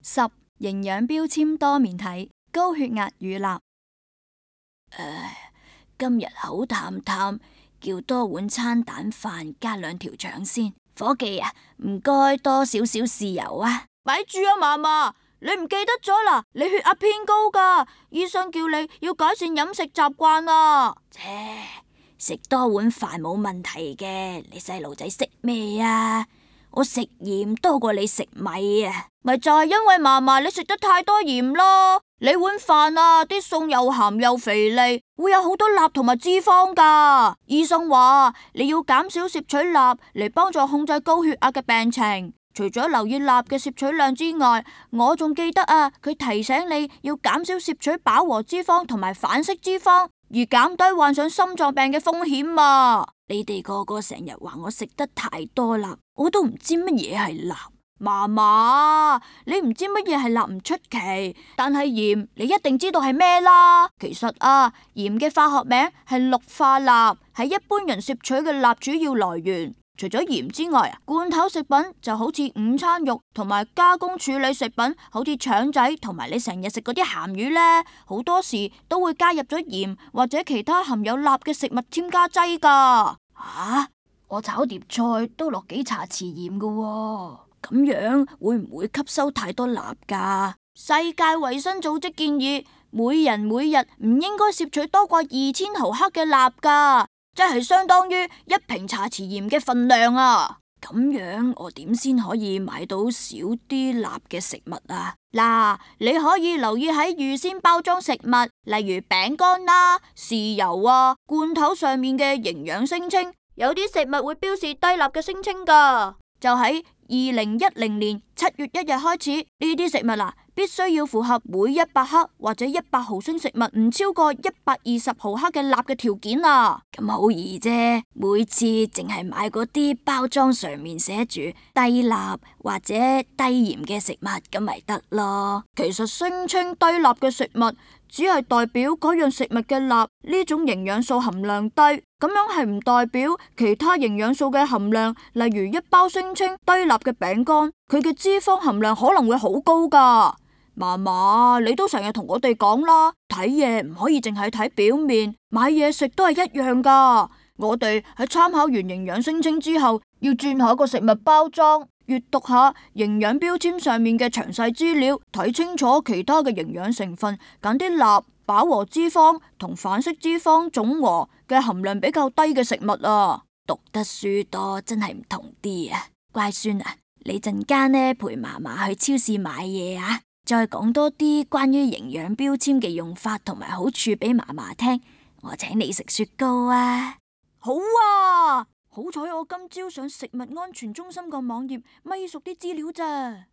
10. 營養標籤多面睇，高血壓與鈉。今日口淡淡，叫多碗餐蛋飯加2條腸先。伙計啊，唔該多少少豉油啊。咪住啊，嫲嫲，你唔記得咗啦？你血壓偏高噶，醫生叫你要改善飲食習慣啊。食多碗飯冇問題嘅，你細路仔食咩啊？我食鹽多過你食米啊。咪就係因為嫲嫲你食得太多鹽咯，你碗飯啊啲餸又鹹又肥膩，會有好多鈉同埋脂肪噶。醫生話你要減少攝取鈉嚟幫助控制高血壓嘅病情。除咗留意鈉嘅攝取量之外，我仲記得啊，佢提醒你要減少攝取飽和脂肪同埋反式脂肪，而減低患上心臟病嘅風險啊。你哋個個成日話我食得太多鈉，我都唔知乜嘢係鈉。嫲嫲，你唔知乜嘢係鈉唔出奇，但係鹽你一定知道係咩啦。其實啊，鹽嘅化學名係氯化鈉，係一般人攝取嘅鈉主要來源。除咗鹽之外啊，罐頭食品就好似午餐肉，同埋加工處理食品好似腸仔，同埋你成日食嗰啲鹹魚呢，好多時都會加入咗鹽或者其他含有鈉嘅食物添加劑噶。我炒碟菜都落幾茶匙鹽噶喎，咁樣會唔會吸收太多鈉噶？世界衛生組織建議每人每日唔應該攝取多過2000毫克嘅鈉噶，即係相當於1瓶茶匙鹽嘅份量啊！咁樣我點先可以買到少啲鈉嘅食物啊？嗱，你可以留意喺預先包裝食物，例如餅乾啦、豉油啊、罐頭上面嘅營養聲稱，有啲食物會標示低鈉嘅聲稱噶。就喺2010年7月1日開始，呢啲食物必須要符合每100克或者100毫升食物唔超過120毫克嘅鈉嘅條件啊。咁好易啫，每次淨係買嗰啲包裝上面寫住低鈉或者低鹽嘅食物，咁咪得咯。其實聲稱低鈉嘅食物只係代表嗰樣食物嘅鈉呢種營養素含量低，咁樣係唔代表其他營養素嘅含量。例如一包聲稱低鈉嘅餅乾，佢嘅脂肪含量可能會好高噶。嫲嫲，你都成日同我哋講啦，睇嘢唔可以淨係睇表面，買嘢食都係一樣噶。我哋喺參考完營養聲稱之後，要轉下個食物包裝，閱讀下營養標籤上面嘅詳細資料，睇清楚其他嘅營養成分，揀啲鈉、飽和脂肪同反式脂肪總和嘅含量比較低嘅食物啊。讀得書多真係唔同啲啊！乖孫啊，你陣間呢陪嫲嫲去超市買嘢啊，再講多啲關於營養標籤嘅用法同埋好處俾嫲嫲聽，我請你食雪糕啊！好啊！好彩我今朝上食物安全中心個網頁咪熟啲資料咋。